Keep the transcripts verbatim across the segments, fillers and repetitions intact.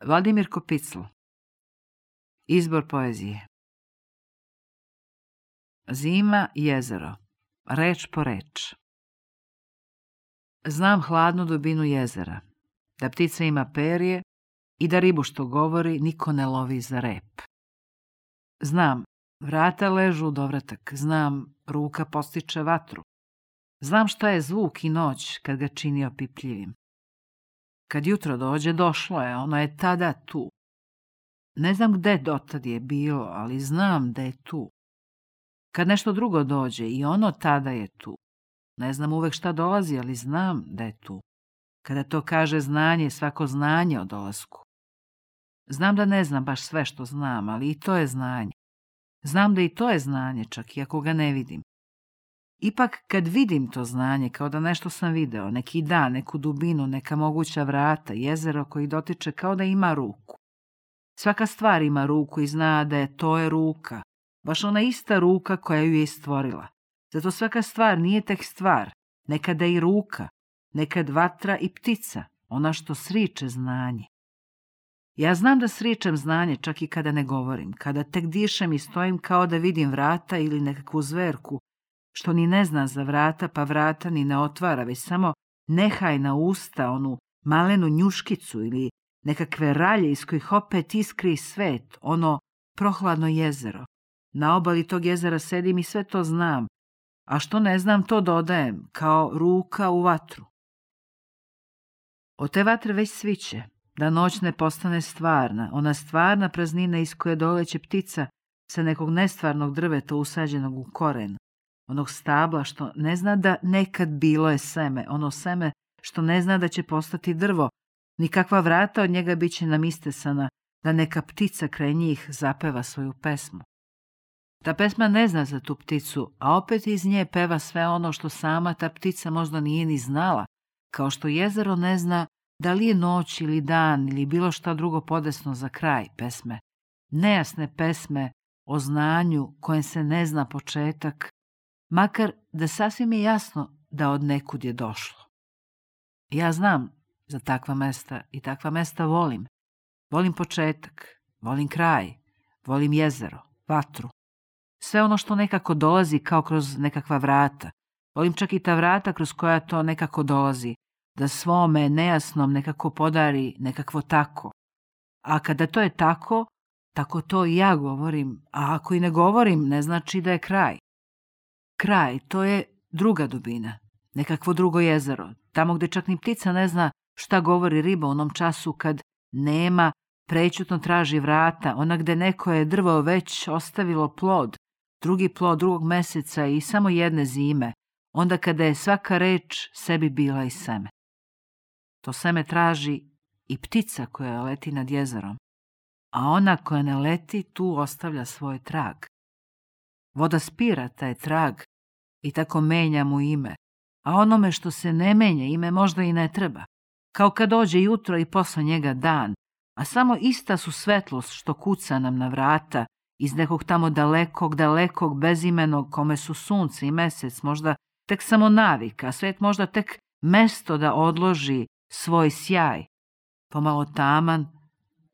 Vladimir Kopicl. Izbor poezije. Zima, jezero. Reč po reč. Znam hladnu dubinu jezera, da ptica ima perje i da ribu što govori niko ne lovi za rep. Znam, vrata ležu u dovratak, znam, ruka postiče vatru. Znam šta je zvuk i noć kad ga čini opipljivim. Kad jutro dođe, došlo je, ono je tada tu. Ne znam gde dotad je bilo, ali znam da je tu. Kad nešto drugo dođe, i ono tada je tu. Ne znam uvek šta dolazi, ali znam da je tu. Kada to kaže znanje, svako znanje o dolasku. Znam da ne znam baš sve što znam, ali i to je znanje. Znam da i to je znanje, čak i ako ga ne vidim. Ipak kad vidim to znanje, kao da nešto sam video, neki dan, neku dubinu, neka moguća vrata, jezero koji dotiče kao da ima ruku. Svaka stvar ima ruku i zna da je to je ruka, baš ona ista ruka koja ju je stvorila. Zato svaka stvar nije tek stvar, nekada i ruka, nekad vatra i ptica, ona što sriče znanje. Ja znam da sričem znanje čak i kada ne govorim, kada tek dišem i stojim kao da vidim vrata ili nekakvu zverku, što ni ne zna za vrata, pa vrata ni ne otvara, već samo nehajna usta, onu malenu njuškicu ili nekakve ralje iz kojih opet iskri svet, ono prohladno jezero. Na obali tog jezera sedim i sve to znam, a što ne znam to dodajem, kao ruka u vatru. Od te vatre već sviće, da noć ne postane stvarna, ona stvarna praznina iz koje doleće ptica sa nekog nestvarnog drveta usađenog u koren, onog stabla što ne zna da nekad bilo je seme, ono seme što ne zna da će postati drvo, nikakva vrata od njega bit će nam istesana, da neka ptica kraj njih zapeva svoju pesmu. Ta pesma ne zna za tu pticu, a opet iz nje peva sve ono što sama ta ptica možda nije ni znala, kao što jezero ne zna da li je noć ili dan ili bilo šta drugo podesno za kraj pesme. Nejasne pesme o znanju kojem se ne zna početak, makar da sasvim je jasno da od nekud je došlo. Ja znam za takva mesta i takva mesta volim. Volim početak, volim kraj, volim jezero, vatru. Sve ono što nekako dolazi kao kroz nekakva vrata. Volim čak i ta vrata kroz koja to nekako dolazi, da svome nejasnom nekako podari nekakvo tako. A kada to je tako, tako to i ja govorim, a ako i ne govorim, ne znači da je kraj. Kraj, to je druga dubina, nekakvo drugo jezero, tamo gde čak ni ptica ne zna šta govori riba u onom času kad nema, prećutno traži vrata, ona gde neko je drvo već ostavilo plod, drugi plod drugog meseca i samo jedne zime, onda kada je svaka reč sebi bila i seme. To seme traži i ptica koja leti nad jezerom, a ona koja ne leti tu ostavlja svoj trag. Voda spira taj trag i tako menja mu ime, a onome što se ne menja ime možda i ne treba, kao kad dođe jutro i posle njega dan, a samo ista su svetlost što kuca nam na vrata iz nekog tamo dalekog, dalekog, bezimenog kome su sunce i mesec možda tek samo navika, a svet možda tek mesto da odloži svoj sjaj, pomalo taman,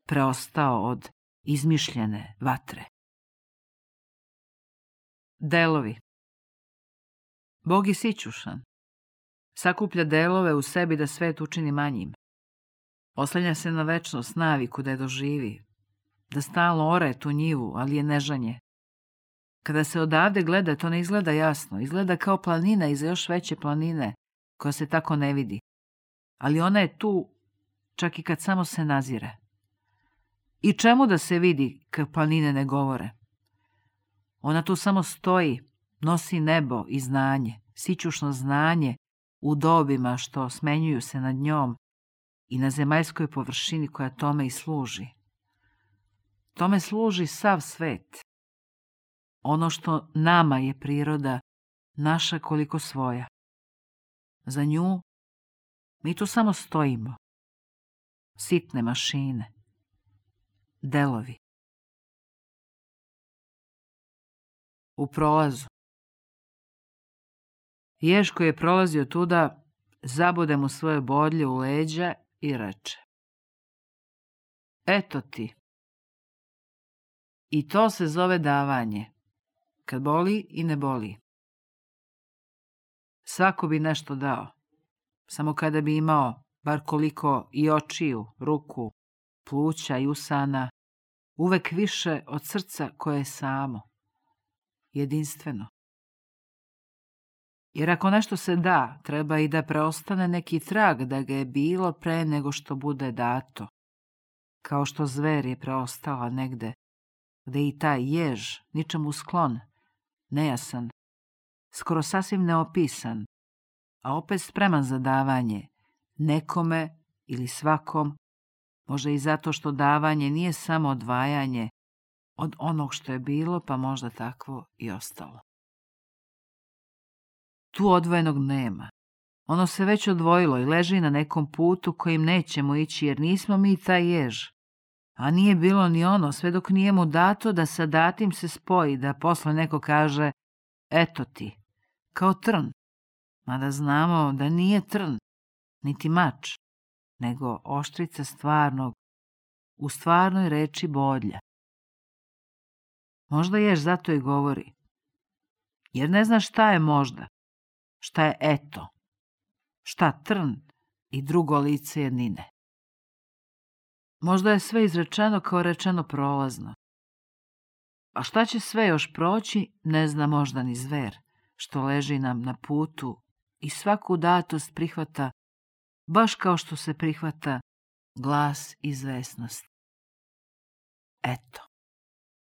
preostao od izmišljene vatre. Delovi. Bog je sićušan. Sakuplja delove u sebi da svet učini manjim. Oslanja se na večnost, naviku da je doživi, da stalno ore tu njivu, ali je nežanje. Kada se odavde gleda, to ne izgleda jasno, izgleda kao planina iza još veće planine, koja se tako ne vidi. Ali ona je tu, čak i kad samo se nazire. I čemu da se vidi kad planine ne govore? Ona tu samo stoji, nosi nebo i znanje, sićušno znanje u dobima što smenjuju se nad njom i na zemaljskoj površini koja tome i služi. Tome služi sav svet. Ono što nama je priroda, naša koliko svoja. Za nju mi tu samo stojimo. Sitne mašine. Delovi. U prolazu. Jež koji je prolazio tuda, zabude mu svoje bodlje u leđa i reče: Eto ti. I to se zove davanje. Kad boli i ne boli. Svako bi nešto dao. Samo kada bi imao bar koliko i očiju, ruku, pluća i usana, uvek više od srca koje je samo. Jedinstveno. Jer ako nešto se da, treba i da preostane neki trag da ga je bilo pre nego što bude dato. Kao što zver je preostala negde, gde i taj jež, ničemu sklon, nejasan, skoro sasvim neopisan, a opet spreman za davanje, nekome ili svakom, možda i zato što davanje nije samo odvajanje od onog što je bilo, pa možda takvo i ostalo. Tu odvojenog nema. Ono se već odvojilo i leži na nekom putu kojim nećemo ići, jer nismo mi taj jež. A nije bilo ni ono, sve dok nije mu dato da sa datim se spoji, da posle neko kaže, eto ti, kao trn. Mada znamo da nije trn, niti mač, nego oštrica stvarnog, u stvarnoj reči bodlja. Možda jež zato i govori, jer ne zna šta je možda, šta je eto, šta trn i drugo lice jednine. Možda je sve izrečeno kao rečeno prolazno. A šta će sve još proći, ne zna možda ni zver, što leži nam na putu i svaku datost prihvata, baš kao što se prihvata glas izvesnosti. Eto.